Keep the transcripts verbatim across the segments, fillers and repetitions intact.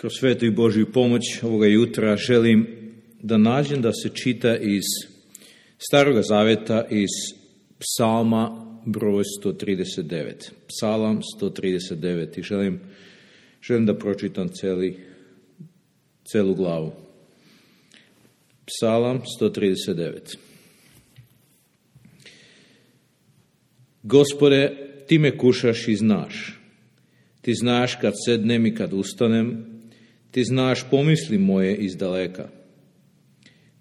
Kroz svetu i Božju pomoć ovoga jutra želim da nađem da se čita iz Staroga Zaveta, iz Psalma broj sto trideset devet. Psalam sto trideset devet. I želim, želim da pročitam celi, celu glavu. Psalam sto trideset devet. Gospode, ti me kušaš i znaš. Ti znaš kad sednem i kad ustanem. Ti znaš pomisli moje iz daleka.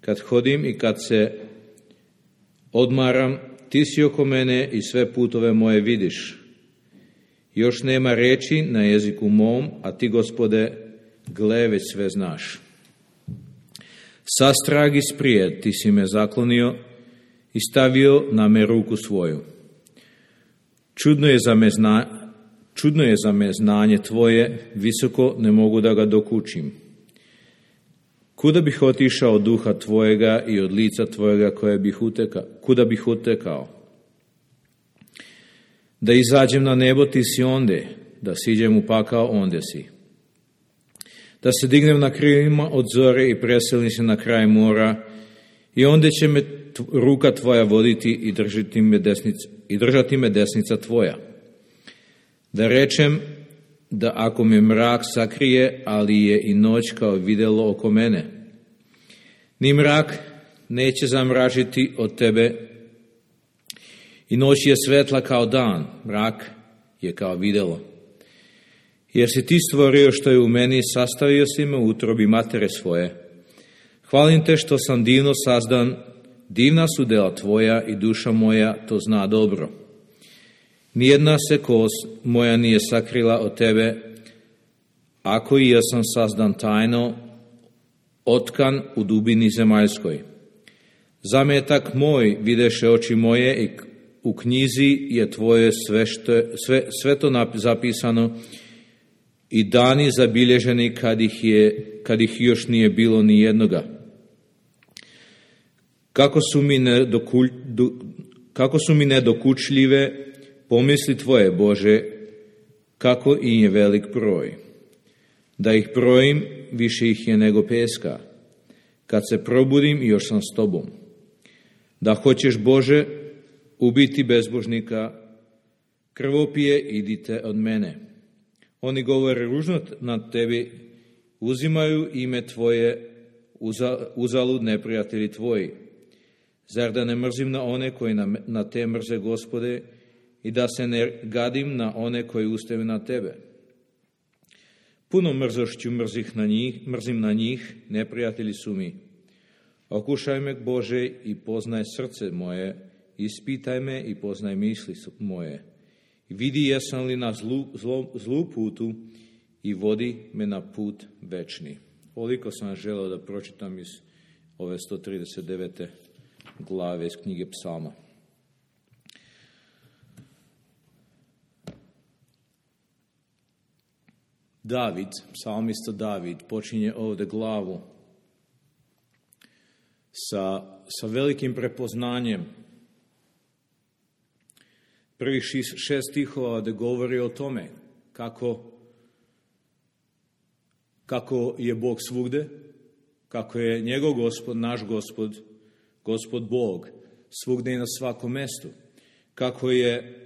Kad hodim i kad se odmaram, ti si oko mene i sve putove moje vidiš. Još nema reči na jeziku mom, a ti, Gospode, gle, već sve znaš. Sastrag isprijed ti si me zaklonio i stavio na me ruku svoju. Čudno je za me, zna, čudno je za me znanje tvoje, visoko ne mogu da ga dokučim. Kuda bih otišao od duha tvojega i od lica tvojega koje bih uteka, kuda bih utekao? Da izađem na nebo, ti si onde, da siđem u pakao, onde si. Da se dignem na krilima od zore i preselim se na kraj mora, i onde će me ruka tvoja voditi i držati me desnica, i držati me desnica tvoja. Da rečem da ako me mrak sakrije, ali je i noć kao videlo oko mene. Ni mrak neće zamražiti od tebe, i noć je svetla kao dan, mrak je kao videlo. Jer si ti stvorio što je u meni, sastavio si me u utrobi matere svoje. Hvalim te što sam divno sazdan, divna su dela tvoja i duša moja to zna dobro. Nijedna se kost moja nije sakrila od tebe, ako i ja sam sazdan tajno, otkan u dubini zemaljskoj. Zametak moj videše oči moje i u knjizi je tvoje sve, što, sve, sve to zapisano i dani zabilježeni kad ih, je, kad ih još nije bilo ni jednoga. Kako su mi, nedokulj, kako su mi nedokučljive pomisli tvoje, Bože, kako i je velik broj. Da ih brojim, više ih je nego peska. Kad se probudim, još sam s tobom. Da hoćeš, Bože, ubiti bezbožnika, krvopije, idite od mene. Oni govore ružno nad tebi, uzimaju ime tvoje, uzalud neprijatelji tvoji. Zar da ne mrzim na one koji na, na te mrze, Gospode, i da se ne gadim na one koji ustaju na tebe? Puno mrzošću mrzih na njih, mrzim na njih, neprijatelji su mi. Okušaj me, Bože, i poznaj srce moje, ispitaj me i poznaj misli moje. Vidi jesam li na zlu, zlu, zlu putu i vodi me na put večni. Ovoliko sam želeo da pročitam iz ove sto trideset devete glave iz knjige Psalma. David, psalmista David, počinje ovdje glavu sa, sa velikim prepoznanjem. Prvih šest stihova da govori o tome kako, kako je Bog svugde, kako je njegov Gospod, naš Gospod, Gospod Bog, svugde i na svakom mestu, kako je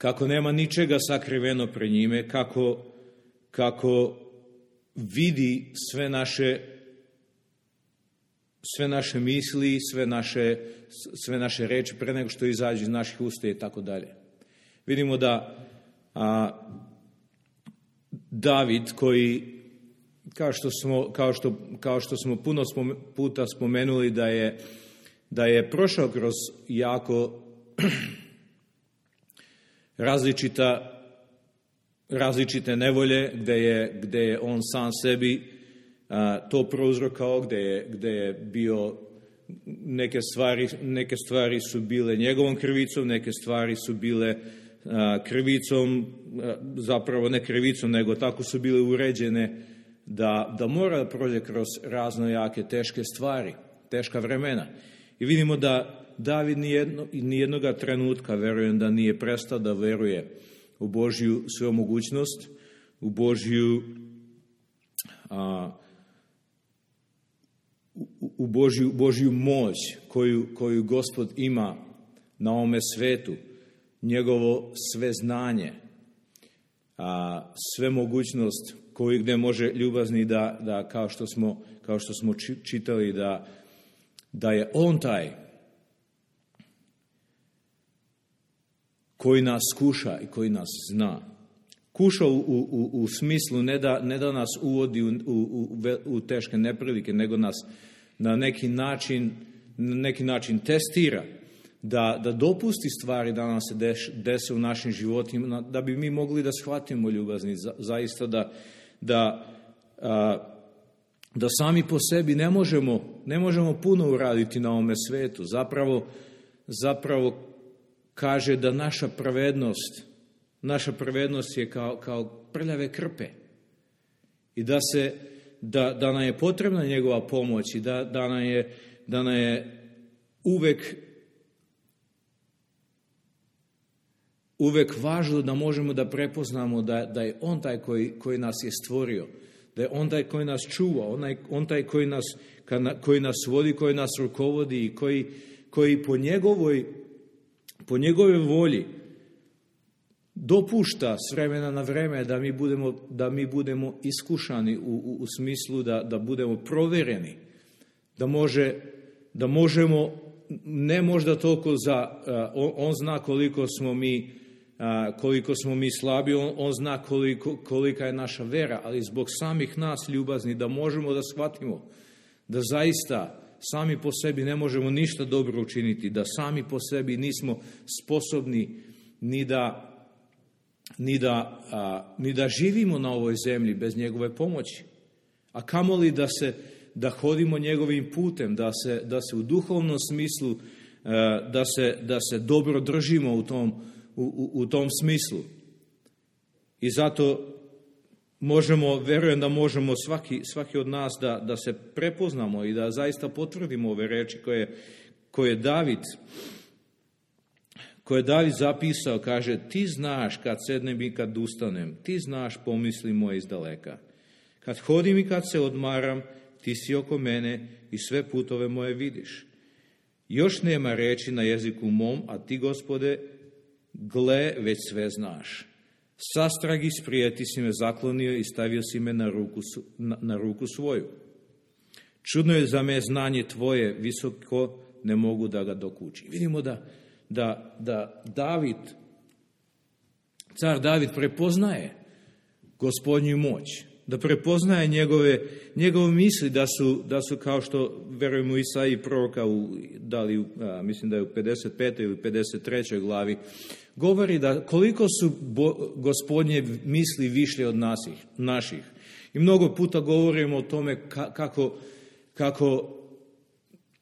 kako nema ničega sakriveno pred njime, kako, kako vidi sve naše, sve naše misli, sve naše, sve naše reči pre nego što izađu iz naših usta i tako dalje. Vidimo da a, David, koji, kao što smo, kao što, kao što smo puno spome, puta spomenuli, da je, da je prošao kroz jako različita, različite nevolje, gde je, gde je on sam sebi a, to prouzrokao, gde je, gde je bio, neke stvari, neke stvari su bile njegovom krivicom, neke stvari su bile a, krivicom, a, zapravo ne krivicom, nego tako su bile uređene da, da mora da prođe kroz razno jake, teške stvari, teška vremena. I vidimo da David nijedno, nijednoga trenutka, verujem da nije prestao da veruje u Božju svemogućnost, u Božju a, u, u Božju, Božju moć koju, koju Gospod ima na ovome svetu, njegovo sve znanje, a, sve mogućnost koju gdje može ljubazni da, da kao što smo, kao što smo čitali, da, da je on taj koji nas kuša i koji nas zna. Kuša u, u, u smislu ne da, ne da nas uvodi u, u, u teške neprilike, nego nas na neki način, na neki način testira, da, da dopusti stvari da nam se deš, dese u našim životima, da bi mi mogli da shvatimo ljubazni, za, zaista da, da, a, da sami po sebi ne možemo, ne možemo puno uraditi na ovome svetu. Zapravo, zapravo kaže da naša pravednost, naša pravednost je kao, kao prljave krpe i da, se, da, da nam je potrebna njegova pomoć i da, da, nam je, da nam je uvek, uvek važno da možemo da prepoznamo da, da je on taj koji, koji nas je stvorio, da je on taj koji nas čuva, on, on taj koji nas, koji nas vodi, koji nas rukovodi i koji, koji po njegovoj po njegove volji dopušta s vremena na vreme da mi budemo, da mi budemo iskušani u, u, u smislu da, da budemo provjereni, da, može, da možemo, ne možda toliko za, on, on zna koliko smo mi, koliko smo mi slabi, on, on zna koliko, kolika je naša vera, ali zbog samih nas ljubazni da možemo da shvatimo da zaista sami po sebi ne možemo ništa dobro učiniti, da sami po sebi nismo sposobni ni da, ni da, a, ni da živimo na ovoj zemlji bez njegove pomoći. A kamoli da se da hodimo njegovim putem, da se, da se u duhovnom smislu, a, da, se, da se dobro držimo u tom, u, u, u tom smislu. I zato možemo, verujem da možemo svaki, svaki od nas da, da se prepoznamo i da zaista potvrdimo ove reči koje, koje David koje David zapisao, kaže, ti znaš kad sednem i kad ustanem, ti znaš pomisli moje iz daleka. Kad hodim i kad se odmaram, ti si oko mene i sve putove moje vidiš. Još nema reči na jeziku mom, a ti, Gospode, gle, već sve znaš. Sastragi sprijeti si me zaklonio i stavio si me na ruku, na, na ruku svoju. Čudno je za me znanje tvoje, visoko ne mogu da ga dokučim. Vidimo da, da, da David, car David prepoznaje Gospodnju moć, da prepoznaje njegove, njegove misli da su, da su kao što verujemo Isaiji proroka, u, da li, a, mislim da je u pedeset petoj ili pedeset trećoj glavi, govori da koliko su bo, Gospodnje misli višlje od nasih, naših. I mnogo puta govorimo o tome ka, kako, kako,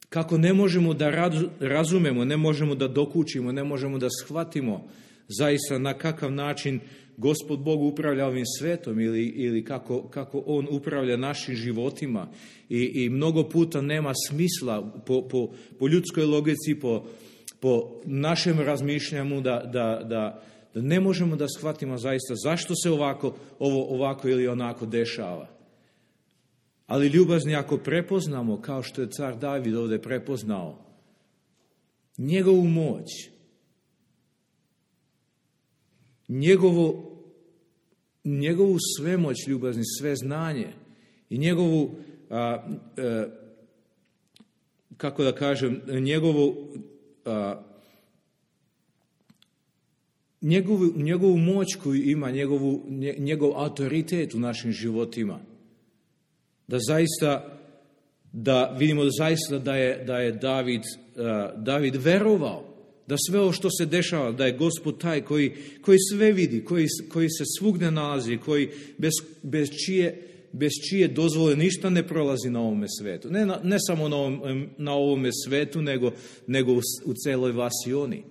kako ne možemo da raz, razumemo, ne možemo da dokučimo, ne možemo da shvatimo zaista na kakav način Gospod Bog upravlja ovim svetom ili, ili kako, kako On upravlja našim životima. I, i mnogo puta nema smisla po, po, po ljudskoj logici, po po našem razmišljanju da, da, da, da ne možemo da shvatimo zaista zašto se ovako, ovo ovako ili onako dešava. Ali ljubazni, ako prepoznamo, kao što je car David ovdje prepoznao, njegovu moć, njegovu, njegovu svemoć ljubazni, sve znanje i njegovu, a, a, kako da kažem, njegovu A, njegovu, njegovu moć koju ima, njegovu, njegov autoritet u našim životima, da zaista, da vidimo da zaista da je, da je David, a, David verovao da sve ovo što se dešava, da je Gospod taj koji, koji sve vidi, koji, koji se svugdje nalazi, koji bez, bez čije bez čije dozvole ništa ne prolazi na ovome svetu. Ne, na, ne samo na, ovom, na ovome svetu, nego, nego u, u celoj vasioni.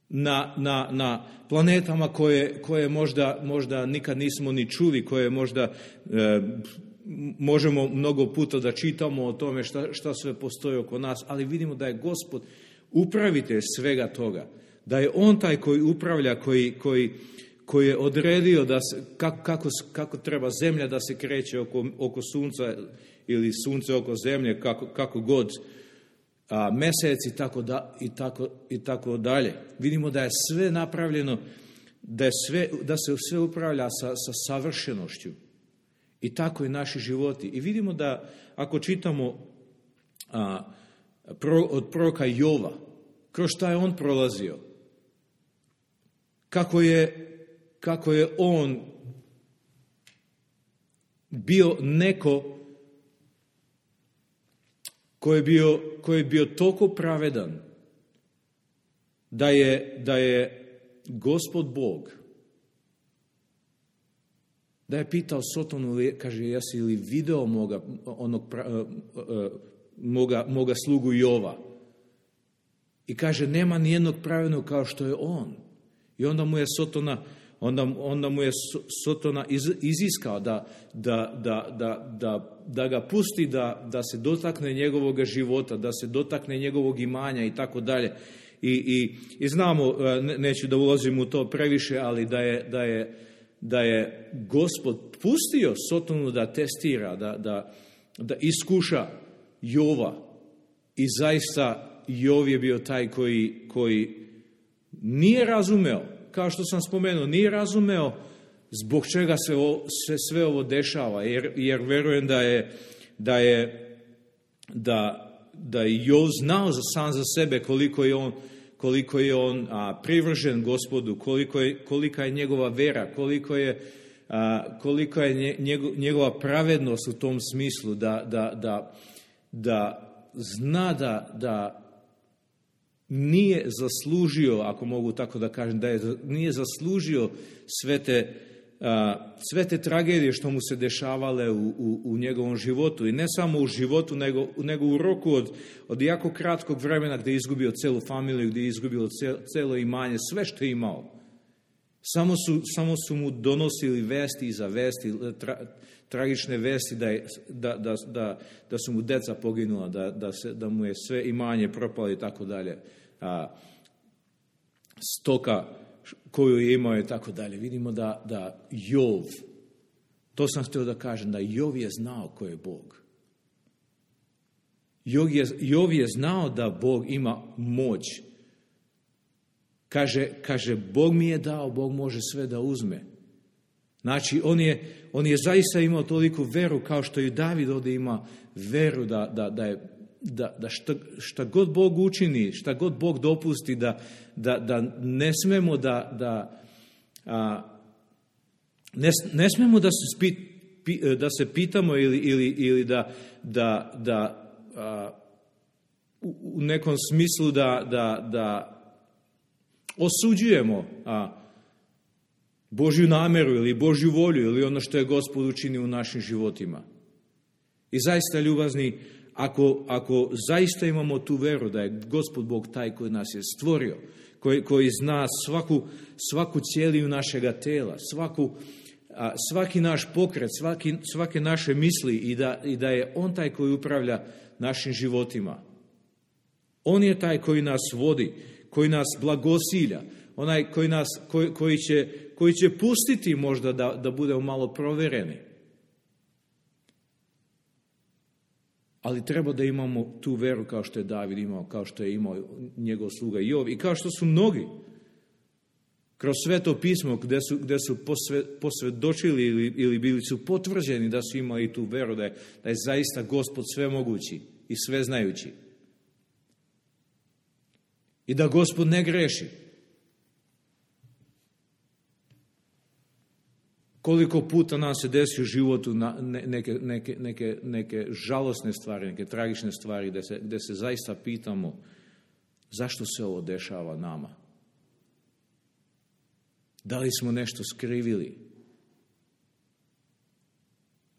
Na, na, na planetama koje, koje možda, možda nikad nismo ni čuli, koje možda e, možemo mnogo puta da čitamo o tome šta, šta sve postoji oko nas, ali vidimo da je Gospod upravitelj svega toga. Da je On taj koji upravlja, koji, koji koji je odredio da se, kako, kako, kako treba zemlja da se kreće oko, oko sunca ili sunce oko zemlje, kako, kako god, a, meseci tako da, i, tako, i tako dalje. Vidimo da je sve napravljeno, da, je sve, da se sve upravlja sa, sa savršenošću. I tako i naši životi. I vidimo da ako čitamo a, pro, od proroka Jova, kroz šta je on prolazio, kako je, kako je on bio neko koji je bio, koji je bio toliko pravedan da je, da je Gospod Bog, da je pitao Sotonu, kaže, jesi li video moga, onog, moga, moga slugu Jova? I kaže, nema nijednog pravednog kao što je on. I onda mu je Sotona, onda, onda mu je Sotona iz, iziskao da, da, da, da, da, da ga pusti da, da se dotakne njegovog života, da se dotakne njegovog imanja i tako dalje. I, i, i znamo, neću da ulazim u to previše, ali da je, da je, da je Gospod pustio Sotonu da testira, da, da, da iskuša Jova. I zaista Jov je bio taj koji, koji nije razumeo, kao što sam spomenuo, nije razumeo zbog čega se, o, se sve ovo dešava, jer, jer verujem da je, da je, da, da je Jov znao za sam za sebe koliko je on, koliko je on a, privržen Gospodu, koliko je, kolika je njegova vera, koliko je, a, koliko je njegov, njegova pravednost u tom smislu, da, da, da, da zna da, da nije zaslužio, ako mogu tako da kažem, da je nije zaslužio sve te, a, sve te tragedije što mu se dešavale u, u, u njegovom životu. I ne samo u životu, nego, nego u roku od, od jako kratkog vremena gdje je izgubio celu familiju, gdje je izgubio celo imanje, sve što je imao. Samo su, samo su mu donosili vesti iza vesti, tra, tragične vesti da, je, da, da, da, da su mu deca poginula, da, da, se, da mu je sve imanje propalo i tako dalje. A, stoka koju je imao i tako dalje. Vidimo da, da Jov, to sam htio da kažem, da Jov je znao ko je Bog. Jov je, Jov je znao da Bog ima moć. Kaže, kaže, Bog mi je dao, Bog može sve da uzme. Znači, on je, on je zaista imao toliku veru kao što i David ovdje ima veru da, da, da, je, da, da šta, šta god Bog učini, šta god Bog dopusti, da, da, da ne smemo da, da, a, ne, ne smemo da se, spit, pi, da se pitamo ili, ili, ili da, da, da a, u, u nekom smislu da, da, da osuđujemo a, Božju nameru ili Božju volju ili ono što je Gospod učinio u našim životima. I zaista, ljubazni, ako, ako zaista imamo tu veru da je Gospod Bog taj koji nas je stvorio, koji, koji zna svaku, svaku cijeliju našega tela, svaku, a, svaki naš pokret, svaki, svake naše misli i da, i da je On taj koji upravlja našim životima. On je taj koji nas vodi, koji nas blagosilja, onaj koji, nas, koji, koji, će, koji će pustiti možda da, da budemo malo provereni. Ali treba da imamo tu veru kao što je David imao, kao što je imao njegov sluga Jov i kao što su mnogi kroz Sveto pismo gdje su, gdje su posve, posvjedočili ili, ili bili su potvrđeni da su imali tu veru, da je, da je zaista Gospod svemogući i sveznajući. I da Gospod ne greši. Koliko puta nam se desi u životu neke, neke, neke, neke žalosne stvari, neke tragične stvari, gdje se, gdje se zaista pitamo zašto se ovo dešava nama. Da li smo nešto skrivili?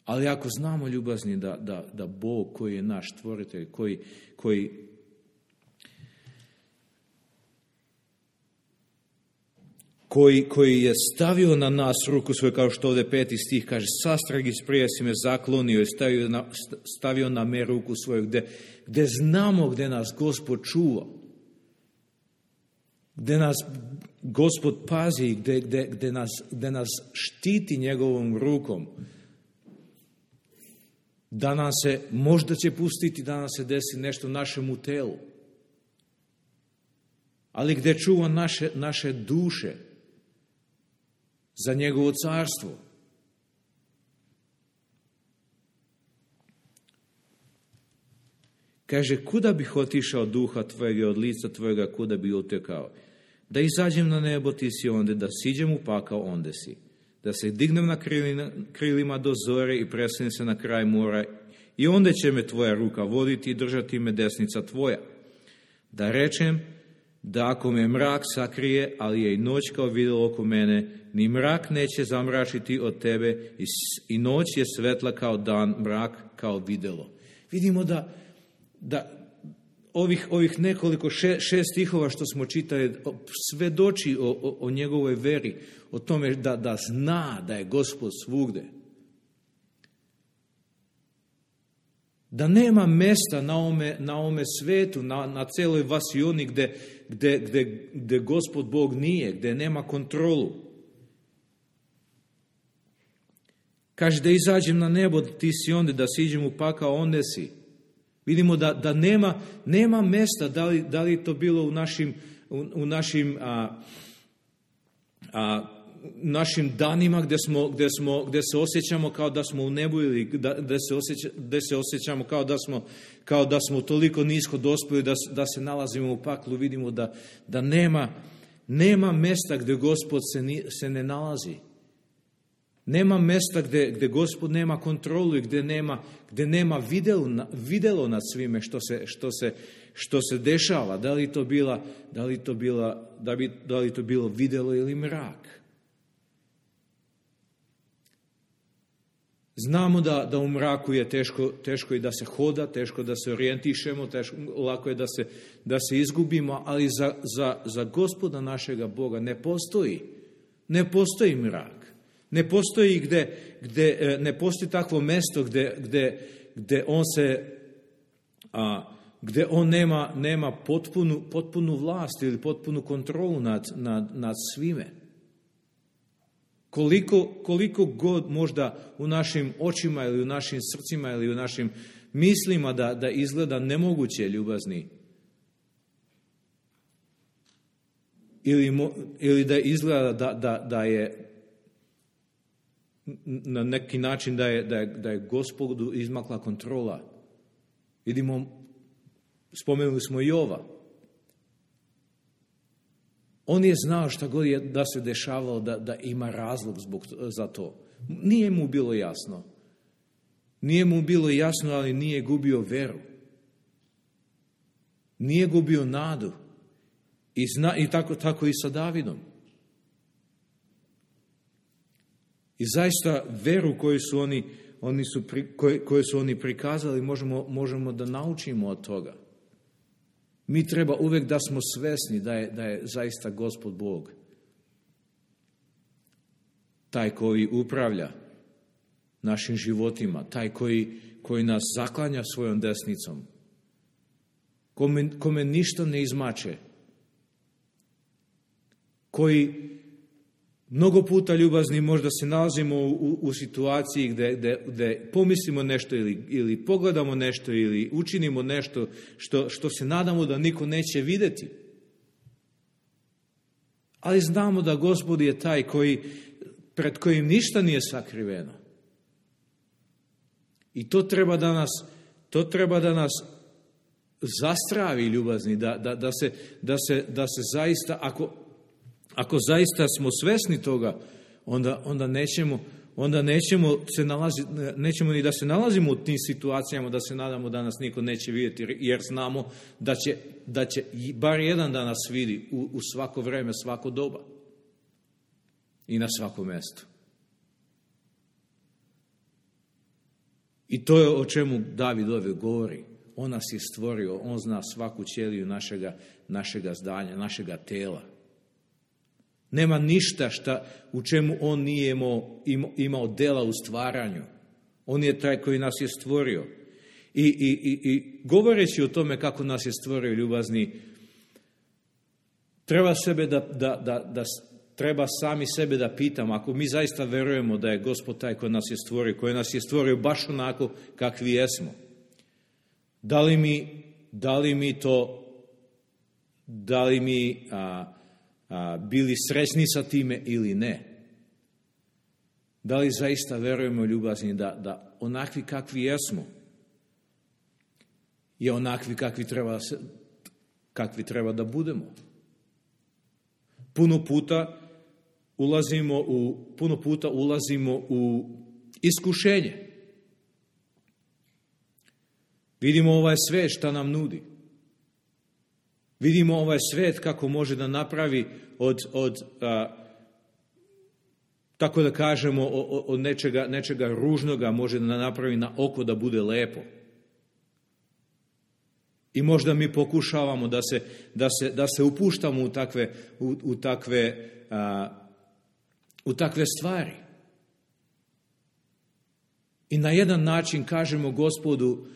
Ali ako znamo, ljubazni, da, da, da Bog koji je naš stvoritelj, koji, koji Koji, koji je stavio na nas ruku svoju, kao što ovdje peti stih kaže, sastragi prije si me zaklonio i stavio na, stavio na me ruku svoju, gdje, gdje znamo gdje nas Gospod čuva, gdje nas Gospod pazi, gde, gde, gde, nas, gde nas štiti njegovom rukom, da nam se, možda će pustiti da nam se desi nešto našemu telu, ali gde čuva naše, naše duše za njegovo carstvo. Kaže, kuda bih otišao duha tvojega od lica tvojega, kuda bi utekao? Da izađem na nebo, ti si onde, da siđem u pakao, onde si. Da se dignem na krilima, krilima do zore i preselim se na kraj mora, i onda će me tvoja ruka voditi i držati me desnica tvoja. Da rečem, da ako me mrak sakrije, ali je i noć kao videlo oko mene, ni mrak neće zamračiti od tebe, i, i noć je svetla kao dan, mrak kao videlo. Vidimo da, da ovih, ovih nekoliko še, šest stihova što smo čitali svedoči o, o, o njegovoj veri, o tome da, da zna da je Gospod svugde. Da nema mesta na ovome, na ovome svetu, na, na celoj vasioni gde, gde, gde, gde Gospod Bog nije, gde nema kontrolu. Kaže, da izađem na nebo, ti si onde, da siđem u pakao, onde si. Vidimo da, da nema, nema mesta, da li, da li to bilo u našim, u, u našim, a, a, našim danima gde, smo, gde, smo, gde se osjećamo kao da smo u nebu, ili da, gde, se osjeća, gde se osjećamo kao da smo, kao da smo toliko nisko dospeli da, da se nalazimo u paklu. Vidimo da, da nema, nema mesta gde Gospod se, ni, se ne nalazi. Nema mesta gde, gde Gospod nema kontrolu i gde nema, gde nema videlo, videlo nad svime što se, što, se, što se dešava. Da li to bila, da li to bila, da bi, da li to bilo videlo ili mrak. Znamo da, da u mraku je teško, teško i da se hoda, teško da se orijentišemo, teško, lako je da se, da se izgubimo, ali za, za, za Gospoda našega Boga ne postoji, ne postoji mrak. Ne postoji gde, gde ne postoji takvo mesto gde, gde, gde on se, a, gde on nema, nema potpunu, potpunu vlast ili potpunu kontrolu nad, nad, nad svime. Koliko, koliko god možda u našim očima ili u našim srcima ili u našim mislima da, da izgleda nemoguće, ljubazni, ili, ili da izgleda da, da, da je na neki način da je, da je, da je Gospodu izmakla kontrola. Vidimo, spomenuli smo Jova. On je znao šta god je da se dešavalo, da, da ima razlog zbog, za to. Nije mu bilo jasno. Nije mu bilo jasno, ali nije gubio veru. Nije gubio nadu. I, zna, i tako, tako i sa Davidom. I zaista veru koju su oni, oni su pri, koje, koje su oni prikazali možemo, možemo da naučimo od toga. Mi treba uvek da smo svesni da je, da je zaista Gospod Bog taj koji upravlja našim životima, taj koji, koji nas zaklanja svojom desnicom, kome, kome ništa ne izmače, koji mnogo puta, ljubazni, možda se nalazimo u, u situaciji gde, gde, gde pomislimo nešto ili, ili pogledamo nešto ili učinimo nešto što, što se nadamo da niko neće videti. Ali znamo da Gospod je taj koji, pred kojim ništa nije sakriveno. I to treba da nas, to treba da nas zastravi, ljubazni, da, da, da, se, da, se, da se zaista, ako Ako zaista smo svesni toga, onda, onda, nećemo, onda nećemo, se nalazi, nećemo ni da se nalazimo u tim situacijama, da se nadamo da nas niko neće vidjeti, jer znamo da će, da će bar jedan da nas vidi u, u svako vreme, svako doba i na svakom mestu. I to je o čemu David ovdje govori. On nas je stvorio, on zna svaku ćeliju našega, našega zdanja, našega tela. Nema ništa šta, u čemu on nije imao, imao, imao dela u stvaranju. On je taj koji nas je stvorio. I, i, i, i govoreći o tome kako nas je stvorio, ljubazni, treba sebe da, da, da, da treba sami sebe da pitamo, ako mi zaista verujemo da je Gospod taj koji nas je stvorio, koji nas je stvorio baš onako kakvi jesmo, da li mi, da li mi to, da li mi a, a, bili srećni sa time ili ne? Da li zaista verujemo, ljubazni, da, da onakvi kakvi jesmo je onakvi kakvi treba, kakvi treba da budemo? Puno puta ulazimo u, puno puta ulazimo u iskušenje. Vidimo ovaj svet šta nam nudi. Vidimo ovaj svet kako može da napravi od, od a, tako da kažemo, od nečega, nečega ružnoga može da napravi na oko da bude lepo. I možda mi pokušavamo da se, da se, da se upuštamo u takve, u, u takve, a, u takve stvari. I na jedan način kažemo Gospodu,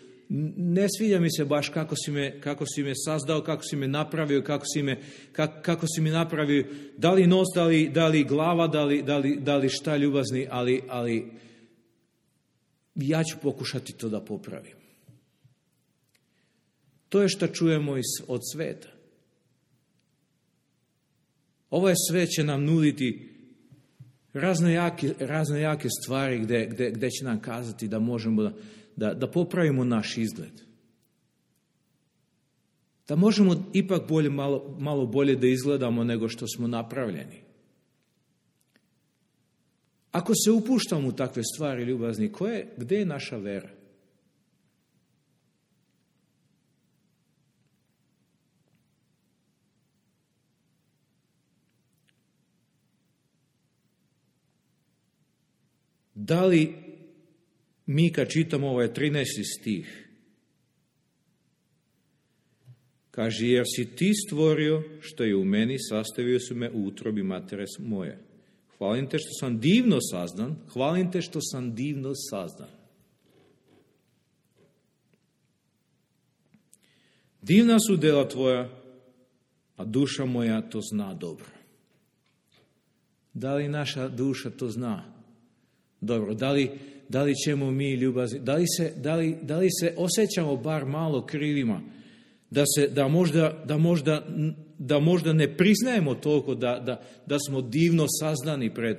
ne sviđa mi se baš kako si me, kako si me sazdao, kako si me napravio, kako si me, kako, kako si mi napravio, da li nos, da li, da li glava, da li, da li, da li šta, ljubazni, ali, ali ja ću pokušati to da popravim. To je što čujemo od sveta. Ovaj svet će nam nuditi razne jake, razne jake stvari gde, gde, gde će nam kazati da možemo da, da, da popravimo naš izgled. Da možemo ipak bolje, malo, malo bolje da izgledamo nego što smo napravljeni. Ako se upuštamo u takve stvari, ljubazni, koje, gde je naša vera? Da li mi kad čitamo ovaj trinaesti stih, kaže, jer si ti stvorio što je u meni, sastavio su me u utrobi matere moje. Hvalim te što sam divno sazdan, hvalim te što sam divno sazdan. Divna su dela tvoja, a duša moja to zna dobro. Da li naša duša to zna dobro? Da li, da li ćemo mi ljubazni, da li se, da li, da li se osjećamo bar malo krivima, da, se, da, možda, da, možda, da možda ne priznajemo toliko da, da, da smo divno saznani pred,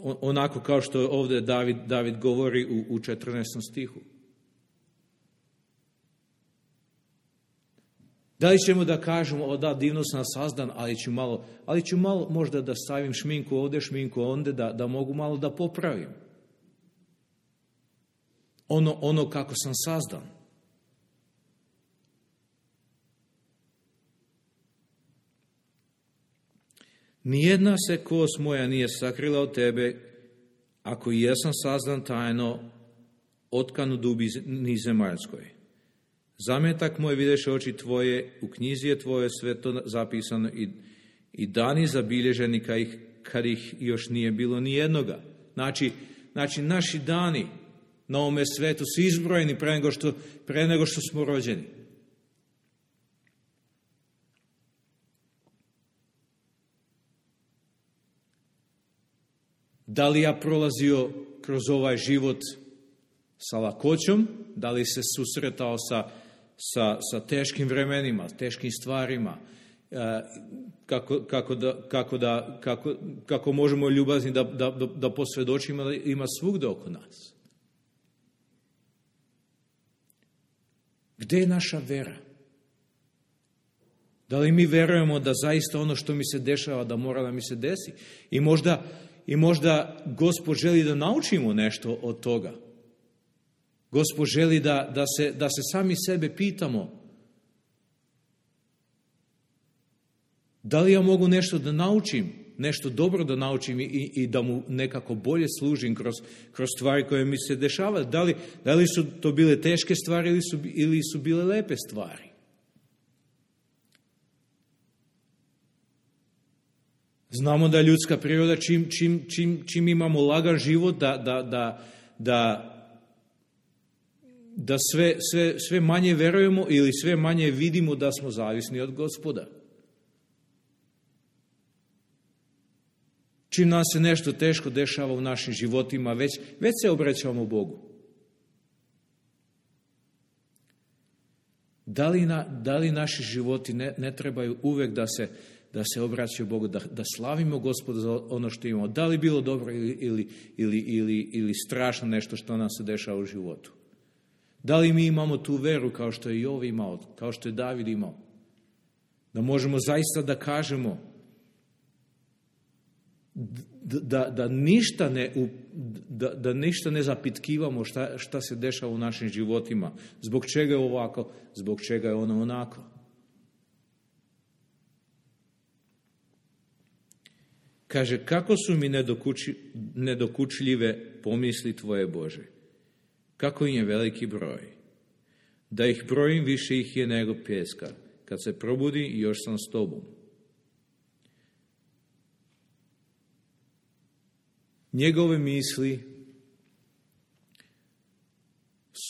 onako kao što ovdje David, David govori u, u četrnaestom stihu. Da li ćemo da kažemo, o da, divno sam sazdan, ali ću malo, ali ću malo možda da stavim šminku ovdje, šminku ondje, da, da mogu malo da popravim. Ono, ono kako sam sazdan. Nijedna se kost moja nije sakrila od tebe, ako i jesam sazdan tajno, otkan u dubini zemaljskoj. Zametak moj videš oči tvoje, u knjizi je tvoje sve to zapisano i, i dani zabilježeni kad ih, kad ih još nije bilo ni jednoga. Znači, znači naši dani na ovome svetu su izbrojeni pre nego što, pre nego što smo rođeni. Da li ja prolazio kroz ovaj život sa lakoćom, da li se susretao sa, sa, sa teškim vremenima, teškim stvarima, kako, kako, da, kako, da, kako, kako možemo ljubazni da, da, da posvjedočimo da ima svugdje oko nas. Gdje je naša vera? Da li mi verujemo da zaista ono što mi se dešava, da mora da mi se desi? I možda, i možda Gospod želi da naučimo nešto od toga. Gospod želi da, da, se, da se sami sebe pitamo, da li ja mogu nešto da naučim, nešto dobro da naučim i, i da mu nekako bolje služim kroz, kroz stvari koje mi se dešavaju. Da li, da li su to bile teške stvari ili su, ili su bile lepe stvari? Znamo da ljudska priroda, čim, čim, čim, čim imamo lagan život, da, da, da, da da sve, sve, sve manje verujemo ili sve manje vidimo da smo zavisni od Gospoda. Čim nam se nešto teško dešava u našim životima, već, već se obraćamo Bogu. Da li, na, da li naši životi ne, ne trebaju uvek da se, da se obraćaju Bogu, da, da slavimo Gospoda za ono što imamo? Da li bilo dobro ili, ili, ili, ili, ili strašno nešto što nam se dešava u životu? Da li mi imamo tu veru kao što je Jov imao, kao što je David imao? Da možemo zaista da kažemo da, da, da, ništa, ne, da, da ništa ne zapitkivamo šta, šta se dešava u našim životima. Zbog čega je ovako, zbog čega je ono onako. Kaže, kako su mi nedokuči, nedokučljive pomisli Tvoje Bože? Kako im je veliki broj? Da ih brojim, više ih je nego pjeska. Kad se probudi, još sam s Tobom. Njegove misli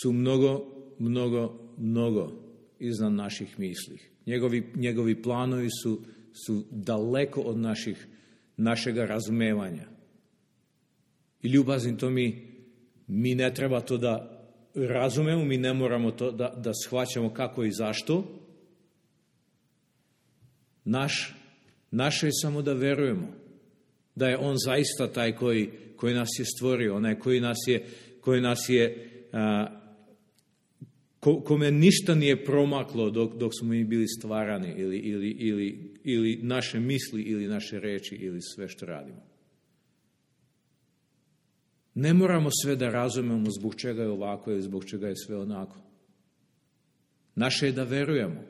su mnogo, mnogo, mnogo iznad naših misli. Njegovi, njegovi planovi su, su daleko od naših, našega razumevanja. I ljubazim to mi, mi ne treba to da razumemo, mi ne moramo to da, da shvaćamo kako i zašto. Naš, naše je samo da verujemo da je on zaista taj koji, koji nas je stvorio, onaj koji nas je, koji nas je a, ko, kome ništa nije promaklo dok, dok smo mi bili stvarani ili, ili, ili, ili naše misli ili naše reči ili sve što radimo. Ne moramo sve da razumemo zbog čega je ovako ili zbog čega je sve onako. Naše je da verujemo.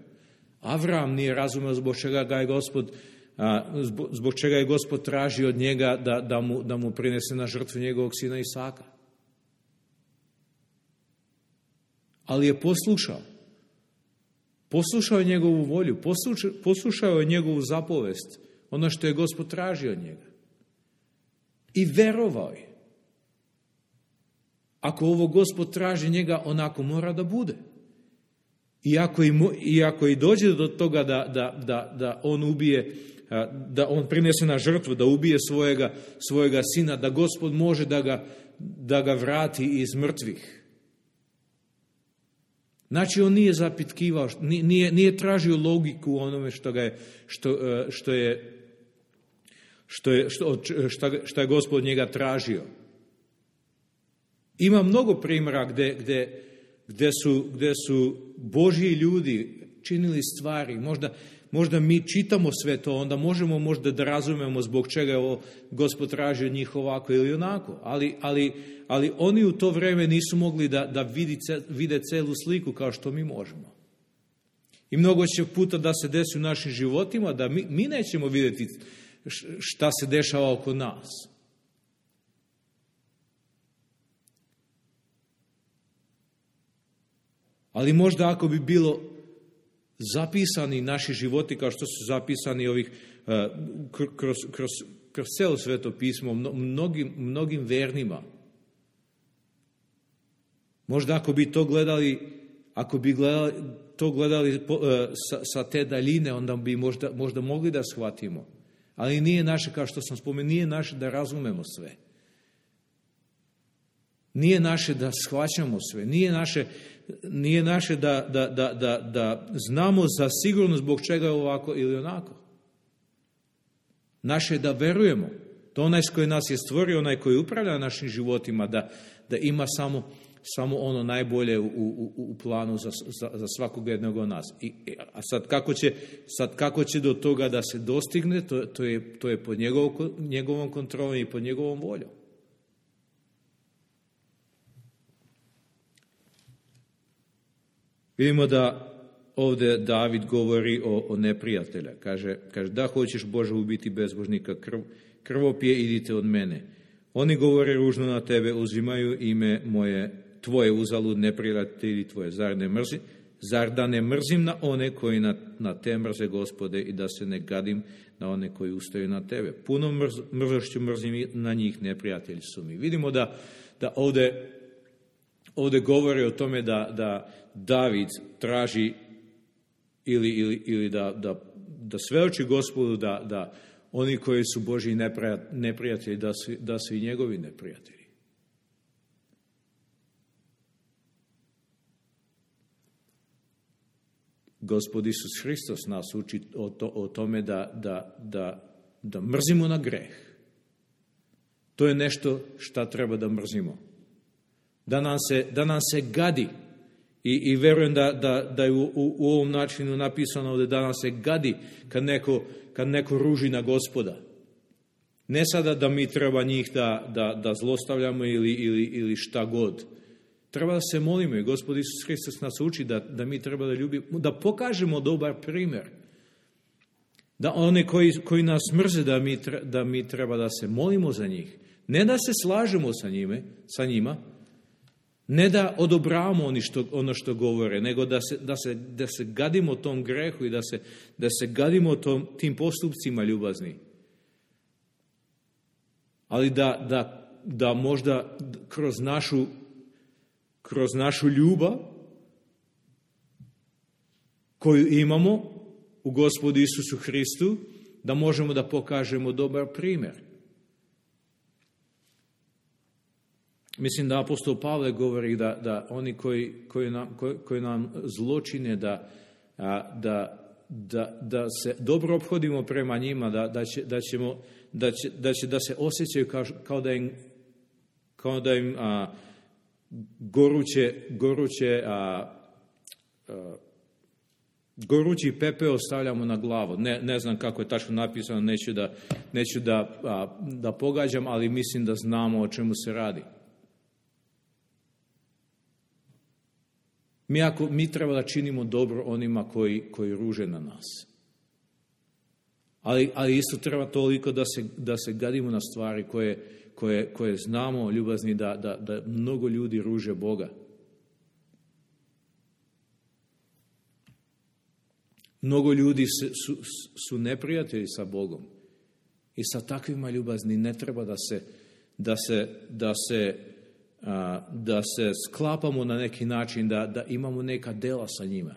Avram nije razumeo zbog čega ga je Gospod A, zbog, zbog čega je Gospod traži od njega da, da, mu, da mu prinese na žrtvu njegovog sina Isaka. Ali je poslušao. Poslušao je njegovu volju, poslušao, poslušao je njegovu zapovest, ono što je Gospod tražio od njega. I verovao je. Ako ovo Gospod traži njega, onako mora da bude. Iako i, iako i dođe do toga da, da, da, da on ubije, da on prinese na žrtvu, da ubije svojega, svojega sina, da Gospod može da ga, da ga vrati iz mrtvih. Znači, on nije zapitkivao, nije, nije tražio logiku u onome što, ga je, što, što je što je, što, što, što je Gospod njega tražio. Ima mnogo primjera gde, gde, gde, su, gde su Božji ljudi činili stvari. Možda, možda mi čitamo sve to, onda možemo možda da razumemo zbog čega je ovo Gospod traži od njih ovako ili onako. Ali, ali, ali oni u to vreme nisu mogli da, da vidi, vide celu sliku kao što mi možemo. I mnogo će puta da se desi u našim životima da mi, mi nećemo vidjeti šta se dešava oko nas. Ali možda ako bi bilo zapisani naši životi kao što su zapisani ovih uh, kroz, kroz, kroz celo Sveto pismo mnogim, mnogim vernima. Možda ako bi to gledali, ako bi gledali, to gledali uh, sa, sa te daljine, onda bi možda, možda mogli da shvatimo. Ali nije naše, kao što sam spomenuo, nije naše da razumemo sve. Nije naše da shvaćamo sve. Nije naše, nije naše da, da, da, da, da znamo za sigurno zbog čega je ovako ili onako. Naše je da verujemo. To onaj koji nas je stvorio, onaj koji upravlja našim životima, da, da ima samo, samo ono najbolje u, u, u planu za, za, za svakog jednog od nas. I, a sad kako, će, sad kako će do toga da se dostigne, to, to, je, to je pod njegov, njegovom kontrolom i pod njegovom voljom. Vidimo da ovdje David govori o, o neprijatelja. Kaže, kaže, da hoćeš Bože ubiti bezbožnika, krv, krvopije, idite od mene. Oni govore ružno na tebe, uzimaju ime moje, tvoje uzalud, neprijatelji tvoje. Zar ne mrzi? Zar da ne mrzim na one koji na, na te mrze, Gospode, i da se ne gadim na one koji ustaju na tebe? Puno mrz, mrzošću mrzim na njih, neprijatelji su mi. Vidimo da, da ovdje Ovdje govori o tome da, da David traži ili, ili, ili da, da, da svedoči Gospodu da, da oni koji su Božji neprijatelji, da su, da su i njegovi neprijatelji. Gospod Isus Hristos nas uči o, to, o tome da, da, da, da mrzimo na greh. To je nešto šta treba da mrzimo. Da nam se, da nam se gadi. I, i verujem da, da, da je u, u, u ovom načinu napisano ovdje da nam se gadi kad neko, kad neko ruži na Gospoda. Ne sada da mi treba njih da, da, da zlostavljamo ili, ili, ili šta god. Treba da se molimo i Gospod Isus Hristos nas uči da, da mi treba da ljubimo, da pokažemo dobar primjer. Da one koji, koji nas mrze, da mi, da mi treba da se molimo za njih. Ne da se slažemo sa, njime, sa njima, ne da odobravamo oni što, ono što govore, nego da se, da se, da se gadimo tom grehu i da se, da se gadimo tom, tim postupcima ljubazni. Ali da, da, da možda kroz našu, kroz našu ljubav koju imamo u Gospodu Isusu Hristu, da možemo da pokažemo dobar primjer. Mislim da apostol Pavle govori da, da oni koji, koji, nam, koji, koji nam zločine, da, da, da, da se dobro ophodimo prema njima, da, da, će, da, ćemo, da, će, da će da se osjećaju kao, kao da im, kao da im a, goruće, goruće a, a, gorući pepeo stavljamo na glavu. Ne, ne znam kako je tačno napisano, neću da, neću da, a, da pogađam, ali mislim da znamo o čemu se radi. Mi, ako, mi treba da činimo dobro onima koji, koji ruže na nas. Ali, ali isto treba toliko da se, da se gadimo na stvari koje, koje, koje znamo, ljubazni, da, da, da mnogo ljudi ruže Boga. Mnogo ljudi su, su neprijatelji sa Bogom. I sa takvima ljubazni ne treba da se, da se, da se, a, da se sklapamo na neki način, da, da imamo neka dela sa njima.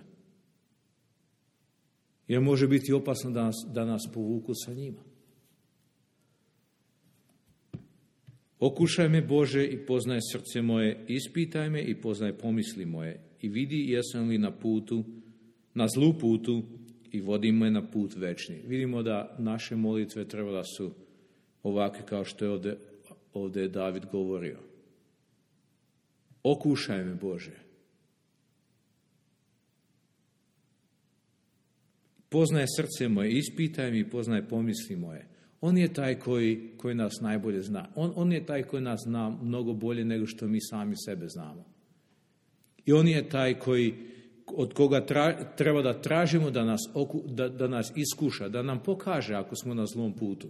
Jer može biti opasno da nas, da nas povuku sa njima. Okušaj me, Bože, i poznaj srce moje, ispitaj me i poznaj pomisli moje i vidi jesam li na putu, na zlu putu i vodi me na put večni. Vidimo da naše molitve treba da su ovakve kao što je ovdje, ovdje David govorio. Okušaj me, Bože. Poznaj srce moje, ispitaj mi i poznaj pomisli moje. On je taj koji, koji nas najbolje zna. On, on je taj koji nas zna mnogo bolje nego što mi sami sebe znamo. I on je taj koji, od koga tra, treba da tražimo da nas, oku, da, da nas iskuša, da nam pokaže ako smo na zlom putu.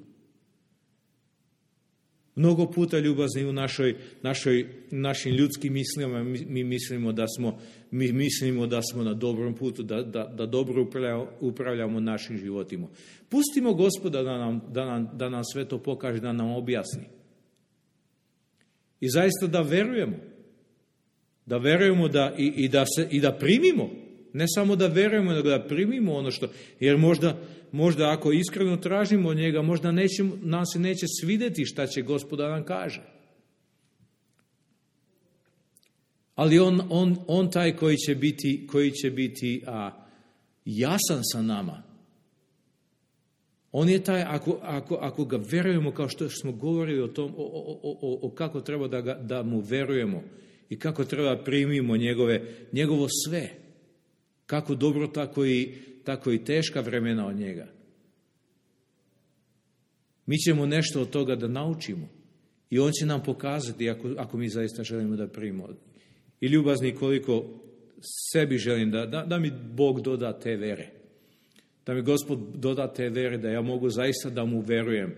Mnogo puta, ljubazni, u našoj, našoj, našim ljudskim mislima mi, mi mislimo da smo, mi mislimo da smo na dobrom putu, da, da, da dobro upravljamo, upravljamo našim životima. Pustimo Gospoda da nam, da, nam, da nam sve to pokaže, da nam objasni. I zaista da verujemo. Da verujemo da, i, i, da se, i da primimo. Ne samo da verujemo, nego da primimo ono što... Jer možda, možda ako iskreno tražimo od njega, možda neće, nam se neće svidjeti šta će Gospoda nam kaže. Ali on, on, on taj koji će biti, koji će biti a, jasan sa nama. On je taj, ako, ako, ako ga verujemo, kao što smo govorili o tom, o, o, o, o kako treba da, ga, da mu verujemo i kako treba primimo njegove, njegovo sve. Kako dobro, tako i, tako i teška vremena od njega. Mi ćemo nešto od toga da naučimo. I on će nam pokazati ako, ako mi zaista želimo da primimo. I ljubazni, koliko sebi želim da, da, da mi Bog doda te vere. Da mi Gospod doda te vere, da ja mogu zaista da mu verujem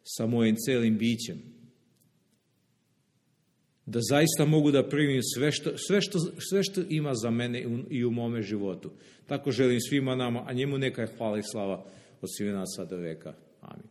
sa mojim celim bićem. Da zaista mogu da primim sve što, sve što, sve što ima za mene i u mome životu. Tako želim svima nama, a njemu neka je hvala i slava od svih nas sada veka. Amin.